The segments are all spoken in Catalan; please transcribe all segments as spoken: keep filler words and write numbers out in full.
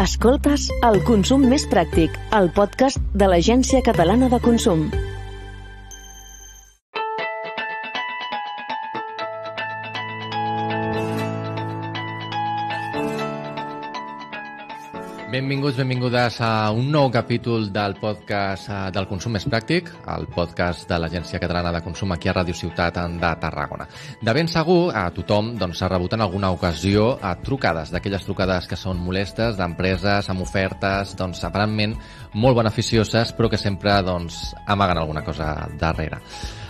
Escoltes El Consum Més Pràctic, el podcast de l'Agència Catalana de Consum. Benvinguts, benvingudes a un nou capítol del podcast del Consum Més Pràctic, el podcast de l'Agència Catalana de Consum aquí a Ràdio Ciutat de Tarragona. De ben segur, a tothom doncs, s'ha rebut en alguna ocasió a trucades, d'aquelles trucades que són molestes, d'empreses amb ofertes, doncs, aparentment molt beneficioses, però que sempre doncs, amaguen alguna cosa darrere.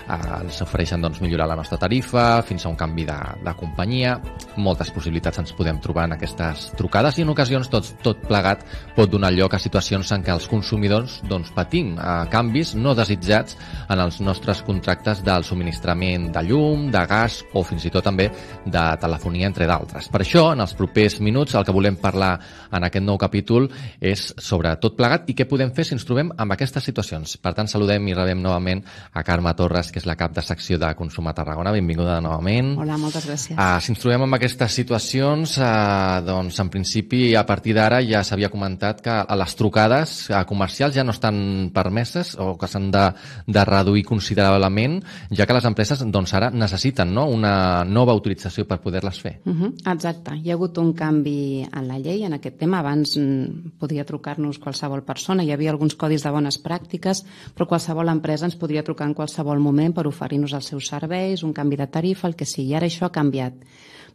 Eh, ens ofereixen doncs, millorar la nostra tarifa, fins a un canvi de, de companyia. Moltes possibilitats ens podem trobar en aquestes trucades i en ocasions tot, tot plegat pot donar lloc a situacions en què els consumidors doncs, patim eh, canvis no desitjats en els nostres contractes del subministrament de llum, de gas o fins i tot també de telefonia, entre d'altres. Per això, en els propers minuts, el que volem parlar en aquest nou capítol és sobre tot plegat i què podem fer si ens trobem amb aquestes situacions. Per tant, saludem i rebem novament a Carme Torres, que és la cap de secció de Consum a Tarragona. Benvinguda novament. Hola, moltes gràcies. Uh, si ens trobem amb aquestes situacions, uh, doncs en principi a partir d'ara ja s'havia comentat que les trucades uh, comercials ja no estan permeses o que s'han de, de reduir considerablement, ja que les empreses doncs, ara necessiten no? una nova autorització per poder-les fer. Uh -huh, exacte. Hi ha hagut un canvi en la llei en aquest tema. Abans mm, podia trucar-nos qualsevol persona, hi havia alguns codis de bones pràctiques, però qualsevol empresa ens podria trucar en qualsevol moment per oferir-nos els seus serveis, un canvi de tarifa, el que sigui. Ara això ha canviat.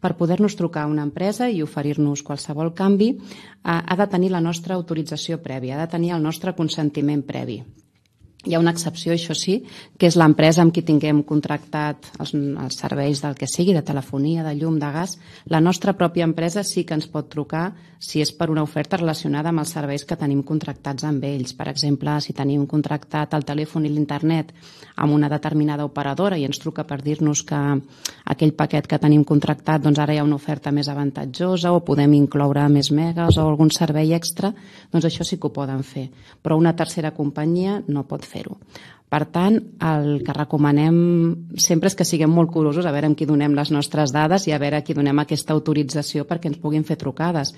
Per poder-nos trucar a una empresa i oferir-nos qualsevol canvi, eh, ha de tenir la nostra autorització prèvia, ha de tenir el nostre consentiment previ. Hi ha una excepció, això sí, que és l'empresa amb qui tinguem contractat els, els serveis del que sigui, de telefonia, de llum, de gas. La nostra pròpia empresa sí que ens pot trucar si és per una oferta relacionada amb els serveis que tenim contractats amb ells. Per exemple, si tenim contractat el telèfon i l'internet amb una determinada operadora i ens truca per dir-nos que aquell paquet que tenim contractat doncs ara hi ha una oferta més avantatjosa o podem incloure més megas o algun servei extra, doncs això sí que ho poden fer. Però una tercera companyia no pot fer-ho. Per tant, el que recomanem sempre és que siguem molt curosos a veure amb qui donem les nostres dades i a veure a qui donem aquesta autorització perquè ens puguin fer trucades.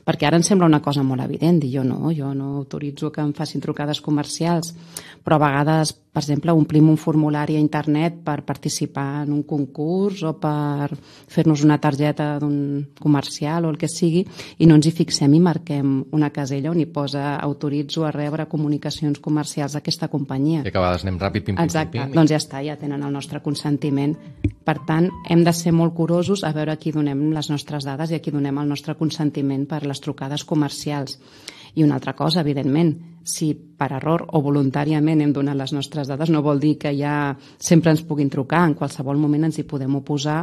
Perquè ara ens sembla una cosa molt evident, dir jo no, jo no autoritzo que em facin trucades comercials, però a vegades, per exemple, omplim un formulari a internet per participar en un concurs o per fer-nos una targeta d'un comercial o el que sigui i no ens hi fixem i marquem una casella on hi posa autoritzo a rebre comunicacions comercials d'aquesta companyia. I que a vegades anem ràpid, pim, pim, Exacte, pim, pim. doncs ja està, ja tenen el nostre consentiment. Per tant, hem de ser molt curosos a veure a qui donem les nostres dades i a qui donem el nostre consentiment per les trucades comercials. I una altra cosa, evidentment, si per error o voluntàriament hem donat les nostres dades, no vol dir que ja sempre ens puguin trucar, en qualsevol moment ens hi podem oposar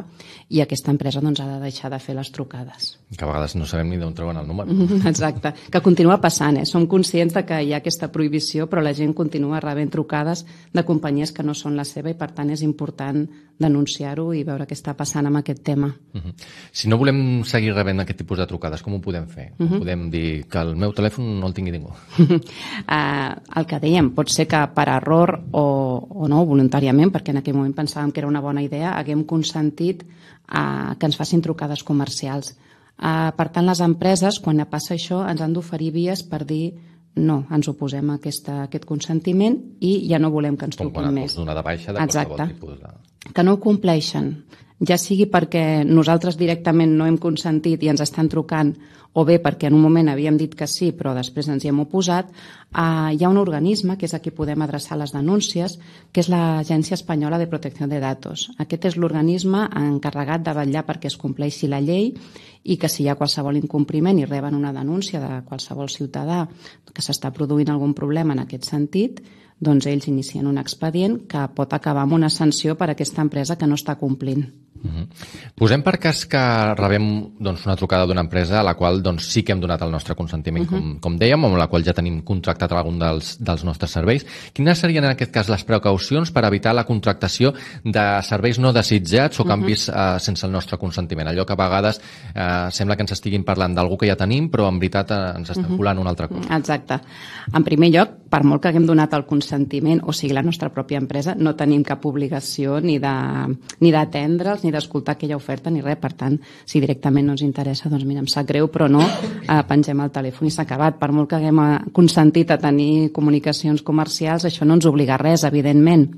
i aquesta empresa doncs, ha de deixar de fer les trucades. Que a vegades no sabem ni d'on treuen el número. Exacte, que continua passant, eh? Som conscients de que hi ha aquesta prohibició, però la gent continua rebent trucades de companyies que no són la seva i per tant és important denunciar-ho i veure què està passant amb aquest tema. Uh -huh. Si no volem seguir rebent aquest tipus de trucades, com ho podem fer? Uh -huh. Podem dir que el meu telèfon no el tingui ningú? Uh, el que dèiem, pot ser que per error o, o no, voluntàriament, perquè en aquell moment pensàvem que era una bona idea, haguem consentit uh, que ens facin trucades comercials. Uh, per tant, les empreses, quan passa això, ens han d'oferir vies per dir no, ens oposem a, aquesta, a aquest consentiment i ja no volem que ens truquin més. Com quan donar de baixa de Exacte. qualsevol tipus de... Que no ho compleixen, ja sigui perquè nosaltres directament no hem consentit i ens estan trucant, o bé perquè en un moment havíem dit que sí, però després ens hi hem oposat, eh, hi ha un organisme que és a qui podem adreçar les denúncies, que és l'Agència Espanyola de Protecció de Datos. Aquest és l'organisme encarregat de vetllar perquè es compleixi la llei i que si hi ha qualsevol incompliment i reben una denúncia de qualsevol ciutadà que s'està produint algun problema en aquest sentit, doncs ells inicien un expedient que pot acabar amb una sanció per a aquesta empresa que no està complint. Uh-huh. Posem per cas que rebem doncs, una trucada d'una empresa a la qual doncs, sí que hem donat el nostre consentiment, uh-huh. com, com dèiem, amb la qual ja tenim contractat algun dels, dels nostres serveis. Quines serien en aquest cas les precaucions per evitar la contractació de serveis no desitjats o canvis uh-huh. eh, sense el nostre consentiment? Allò que a vegades eh, sembla que ens estiguin parlant d'algú que ja tenim, però en veritat eh, ens estan uh-huh. colant una altra cosa. Exacte. En primer lloc, per molt que haguem donat el consentiment, o sigui, la nostra pròpia empresa, no tenim cap obligació ni de, ni d'atendre'ls ni d'escoltar aquella oferta ni res. Per tant, si directament no ens interessa, doncs mira, em sap greu, però no, eh, pengem el telèfon i s'ha acabat. Per molt que haguem consentit a tenir comunicacions comercials, això no ens obliga a res, evidentment.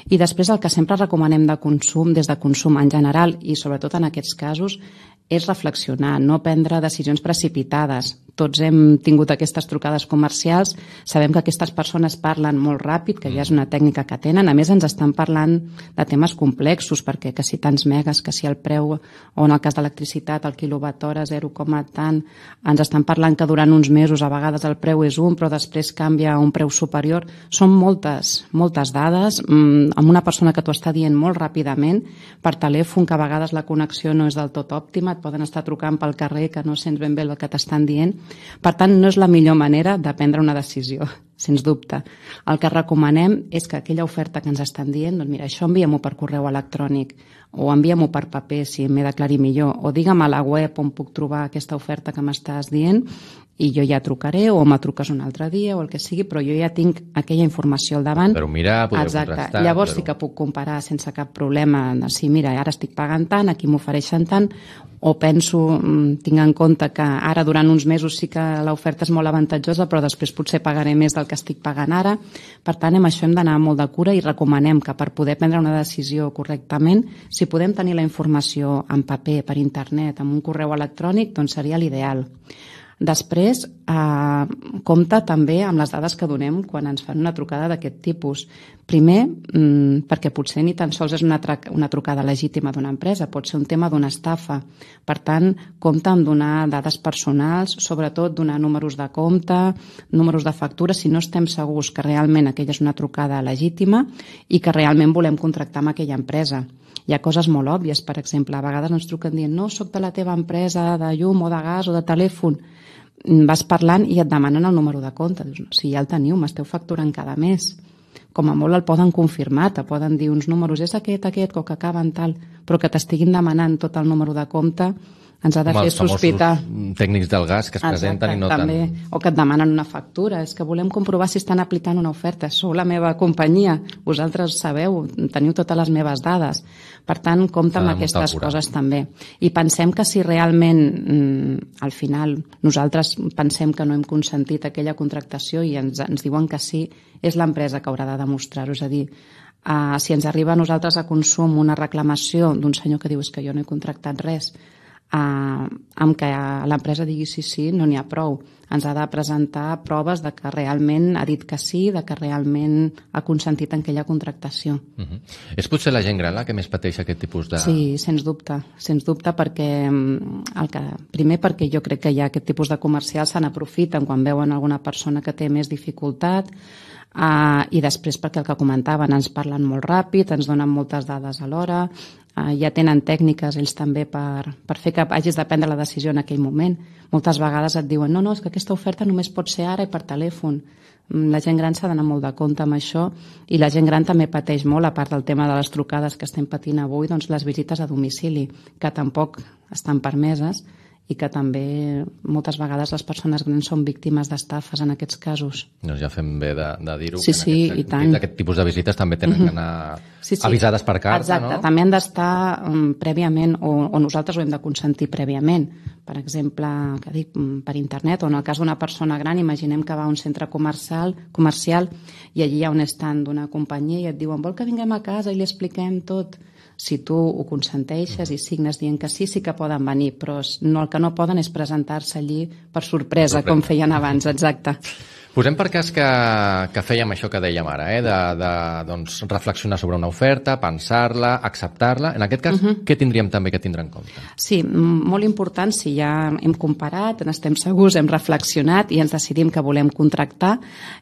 I després el que sempre recomanem de consum, des de consum en general, i sobretot en aquests casos, és reflexionar, no prendre decisions precipitades. Tots hem tingut aquestes trucades comercials, sabem que aquestes persones parlen molt ràpid, que ja és una tècnica que tenen, a més ens estan parlant de temes complexos, perquè que si tants megas, que si el preu, o en el cas d'electricitat, el quilowatt hora, zero, tant, ens estan parlant que durant uns mesos a vegades el preu és un, però després canvia a un preu superior. Són moltes, moltes dades, amb una persona que t'ho està dient molt ràpidament, per telèfon, que a vegades la connexió no és del tot òptima, et poden estar trucant pel carrer que no sents ben bé el que t'estan dient. Per tant, no és la millor manera de prendre una decisió, sens dubte. El que recomanem és que aquella oferta que ens estan dient, doncs mira, això envia-m'ho per correu electrònic, o envia-m'ho per paper si m'he d'aclarir millor, o digue'm a la web on puc trobar aquesta oferta que m'estàs dient i jo ja trucaré, o me truques un altre dia, o el que sigui, però jo ja tinc aquella informació al davant. Però mirar, poder Exacte. contrastar. Llavors però... sí que puc comparar sense cap problema, de si mira, ara estic pagant tant, aquí m'ofereixen tant, o penso, tinc en compte que ara durant uns mesos sí que l'oferta és molt avantatjosa, però després potser pagaré més del que estic pagant ara. Per tant, amb això hem d'anar molt de cura i recomanem que per poder prendre una decisió correctament, si podem tenir la informació en paper, per internet, amb un correu electrònic, doncs seria l'ideal. Després, eh, compta també amb les dades que donem quan ens fan una trucada d'aquest tipus. Primer, mmm, perquè potser ni tan sols és una, una trucada legítima d'una empresa, pot ser un tema d'una estafa. Per tant, compta amb donar dades personals, sobretot donar números de compte, números de factura, si no estem segurs que realment aquella és una trucada legítima i que realment volem contractar amb aquella empresa. Hi ha coses molt òbvies, per exemple, a vegades ens truquen dient no, soc de la teva empresa de llum o de gas o de telèfon. Vas parlant i et demanen el número de compte. Dius, no, si ja el teniu, m'esteu facturant cada mes. Com a molt el poden confirmar, te poden dir uns números, és aquest, aquest, o que acaba en tal, però que t'estiguin demanant tot el número de compte ens ha de fer sospitar. Els tècnics del gas que es Exacte, presenten i no també. tant... O que et demanen una factura. És que volem comprovar si estan aplicant una oferta. Sou la meva companyia. Vosaltres sabeu, teniu totes les meves dades. Per tant, compta amb aquestes coses també. I pensem que si realment, al final, nosaltres pensem que no hem consentit aquella contractació i ens, ens diuen que sí, és l'empresa que haurà de demostrar-ho. És a dir, uh, si ens arriba a nosaltres a consum una reclamació d'un senyor que diu és que jo no he contractat res, Uh, amb que l'empresa digui sí, sí, no n'hi ha prou. Ens ha de presentar proves de que realment ha dit que sí, de que realment ha consentit en aquella contractació. Uh-huh. És potser la gent gran la que més pateix aquest tipus de... Sí, sens dubte, sens dubte, perquè el que, primer perquè jo crec que hi ha aquest tipus de comercials se n'aprofiten quan veuen alguna persona que té més dificultat, uh, i després perquè el que comentaven, ens parlen molt ràpid, ens donen moltes dades alhora, Uh, ja tenen tècniques ells també per, per fer que hagis de prendre la decisió en aquell moment. Moltes vegades et diuen no, no, és que aquesta oferta només pot ser ara i per telèfon. La gent gran s'ha d'anar molt de compte amb això i la gent gran també pateix molt, a part del tema de les trucades que estem patint avui, doncs les visites a domicili, que tampoc estan permeses i que també moltes vegades les persones grans són víctimes d'estafes en aquests casos. Doncs ja fem bé de, de dir-ho, sí, que en sí, aquest, i tant. aquest tipus de visites també tenen que anar sí, sí. avisades per carta. Exacte, no? També han d'estar um, prèviament, o, o nosaltres ho hem de consentir prèviament. Per exemple, que dic, per internet, o en el cas d'una persona gran, imaginem que va a un centre comercial, comercial i allí hi ha un stand d'una companyia i et diuen vol que vinguem a casa i li expliquem tot. Si tu ho consenteixes i signes dient que sí, sí que poden venir, però no, el que no poden és presentar-se allí per sorpresa, com feien abans, exacte. Posem per cas que, que fèiem això que dèiem ara, eh? de, de doncs, reflexionar sobre una oferta, pensar-la, acceptar-la. En aquest cas, uh-huh. què tindríem també que tindre en compte? Sí, molt important, si ja hem comparat, n'estem segurs, hem reflexionat i ens decidim que volem contractar,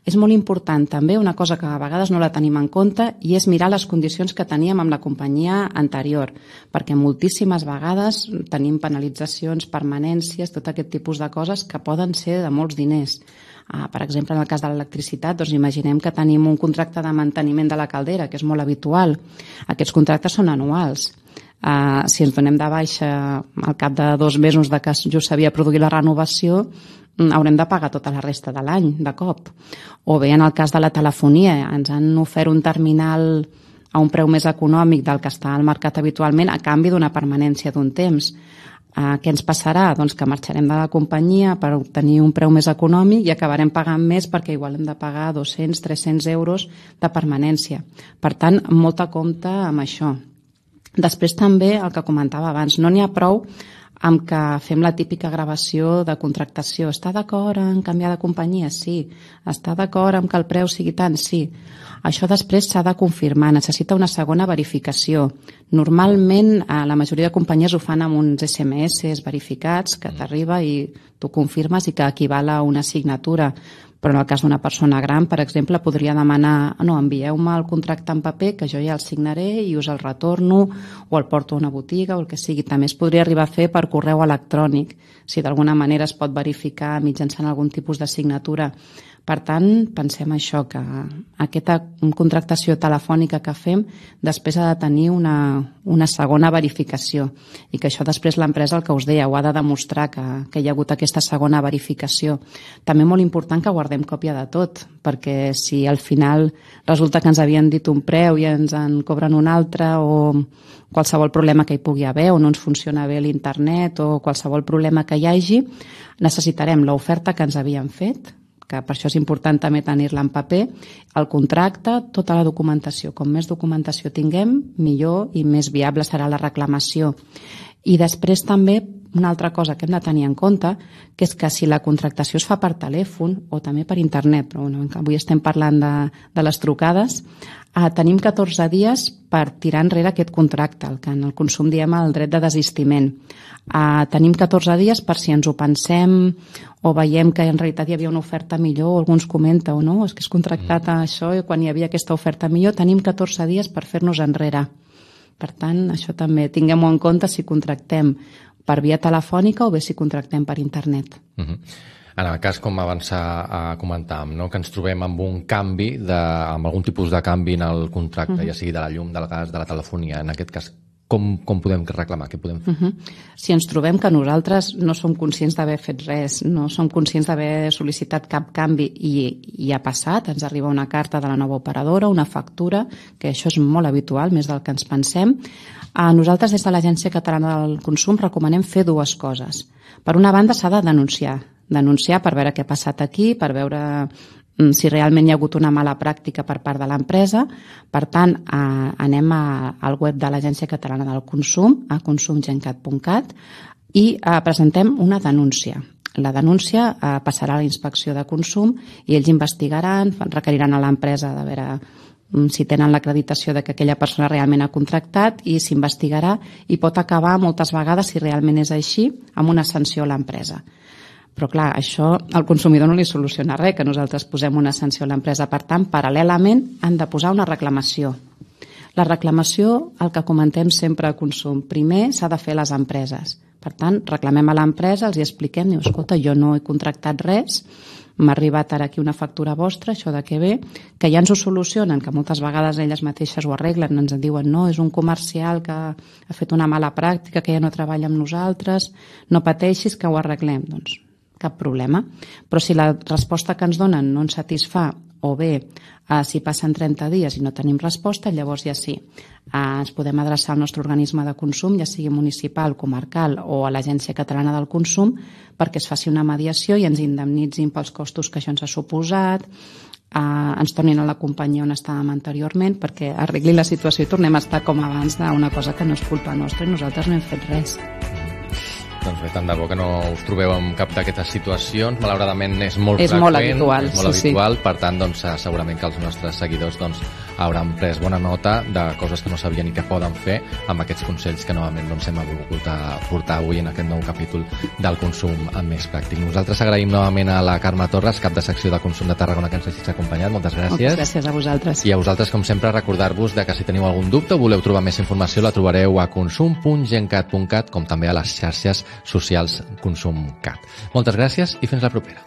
és molt important també una cosa que a vegades no la tenim en compte i és mirar les condicions que teníem amb la companyia anterior, perquè moltíssimes vegades tenim penalitzacions, permanències, tot aquest tipus de coses que poden ser de molts diners. Uh, per exemple, en el cas de l'electricitat, doncs imaginem que tenim un contracte de manteniment de la caldera, que és molt habitual. Aquests contractes són anuals. Uh, si ens donem de baixa al cap de dos mesos de que just s'havia produït la renovació, haurem de pagar tota la resta de l'any, de cop. O bé, en el cas de la telefonia, ens han ofert un terminal a un preu més econòmic del que està al mercat habitualment a canvi d'una permanència d'un temps. Uh, què ens passarà? Doncs que marxarem de la companyia per obtenir un preu més econòmic i acabarem pagant més perquè igual hem de pagar dos-cents a tres-cents euros de permanència. Per tant, molta compte amb això. Després també, el que comentava abans, no n'hi ha prou amb que fem la típica gravació de contractació. Està d'acord en canviar de companyia? Sí. Està d'acord en que el preu sigui tant? Sí. Això després s'ha de confirmar, necessita una segona verificació. Normalment, la majoria de companyies ho fan amb uns esse eme esse verificats que t'arriba i tu confirmes i que equival a una signatura. Però en el cas d'una persona gran, per exemple, podria demanar no, envieu-me el contracte en paper que jo ja el signaré i us el retorno o el porto a una botiga o el que sigui. També es podria arribar a fer per correu electrònic, si d'alguna manera es pot verificar mitjançant algun tipus de signatura. Per tant, pensem això, que aquesta contractació telefònica que fem després ha de tenir una, una segona verificació i que això després l'empresa, el que us deia, ho ha de demostrar que, que hi ha hagut aquesta segona verificació. També molt important que guardem còpia de tot, perquè si al final resulta que ens havien dit un preu i ens en cobren un altre o qualsevol problema que hi pugui haver o no ens funciona bé l'internet o qualsevol problema que hi hagi, necessitarem l'oferta que ens havien fet, que per això és important també tenir-la en paper, el contracte, tota la documentació. Com més documentació tinguem, millor i més viable serà la reclamació. I després també una altra cosa que hem de tenir en compte, que és que si la contractació es fa per telèfon o també per internet, però bueno, avui estem parlant de, de les trucades, eh, tenim catorze dies per tirar enrere aquest contracte, el que en el consum diem el dret de desistiment. Eh, tenim catorze dies per si ens ho pensem o veiem que en realitat hi havia una oferta millor o algú ens comenta o no, és que és contractat a això i quan hi havia aquesta oferta millor, tenim catorze dies per fer-nos enrere. Per tant, això també tinguem-ho en compte si contractem per via telefònica o bé si contractem per internet. Uh-huh. En el cas, com abans comentàvem, no? que ens trobem amb un canvi, de, amb algun tipus de canvi en el contracte, uh-huh. ja sigui de la llum, del gas, de la telefonia, en aquest cas, com, com podem reclamar? Què podem fer? Uh-huh. Si ens trobem que nosaltres no som conscients d'haver fet res, no som conscients d'haver sol·licitat cap canvi i, i ha passat, ens arriba una carta de la nova operadora, una factura, que això és molt habitual, més del que ens pensem, a nosaltres des de l'Agència Catalana del Consum recomanem fer dues coses. Per una banda s'ha de denunciar, denunciar per veure què ha passat aquí, per veure si realment hi ha hagut una mala pràctica per part de l'empresa. Per tant, eh, anem a, al web de l'Agència Catalana del Consum, a consum gencat punt cat, i eh, presentem una denúncia. La denúncia eh, passarà a la inspecció de consum i ells investigaran, requeriran a l'empresa de veure si tenen l'acreditació de que aquella persona realment ha contractat i s'investigarà i pot acabar moltes vegades, si realment és així, amb una sanció a l'empresa. Però clar, això al consumidor no li soluciona res, que nosaltres posem una sanció a l'empresa. Per tant, paral·lelament han de posar una reclamació. La reclamació, el que comentem sempre a consum, primer s'ha de fer a les empreses. Per tant, reclamem a l'empresa, els hi expliquem, diu, escolta, jo no he contractat res, m'ha arribat ara aquí una factura vostra, això de què ve, que ja ens ho solucionen, que moltes vegades elles mateixes ho arreglen, ens en diuen, no, és un comercial que ha fet una mala pràctica, que ja no treballa amb nosaltres, no pateixis que ho arreglem. Doncs cap problema. Però si la resposta que ens donen no ens satisfà o bé eh, si passen trenta dies i no tenim resposta, llavors ja sí. Eh, ens podem adreçar al nostre organisme de consum, ja sigui municipal, comarcal o a l'Agència Catalana del Consum, perquè es faci una mediació i ens indemnitzin pels costos que això ens ha suposat, eh, ens tornin a la companyia on estàvem anteriorment perquè arregli la situació i tornem a estar com abans d'una cosa que no és culpa nostra i nosaltres no hem fet res. Doncs bé, tant de bo que no us trobeu en cap d'aquestes situacions. Malauradament és molt és freqüent, molt habitual, és molt sí, habitual, sí. Per tant, doncs, segurament que els nostres seguidors doncs, hauran pres bona nota de coses que no sabien i que poden fer amb aquests consells que novament doncs, hem volgut portar avui en aquest nou capítol del consum més pràctic. Nosaltres agraïm novament a la Carme Torres, cap de secció de Consum de Tarragona, que ens hagis acompanyat. Moltes gràcies. Moltes gràcies a vosaltres. I a vosaltres, com sempre, recordar-vos de que si teniu algun dubte o voleu trobar més informació, la trobareu a consum punt gencat punt cat, com també a les xarxes socials ConsumCat. Moltes gràcies i fins la propera.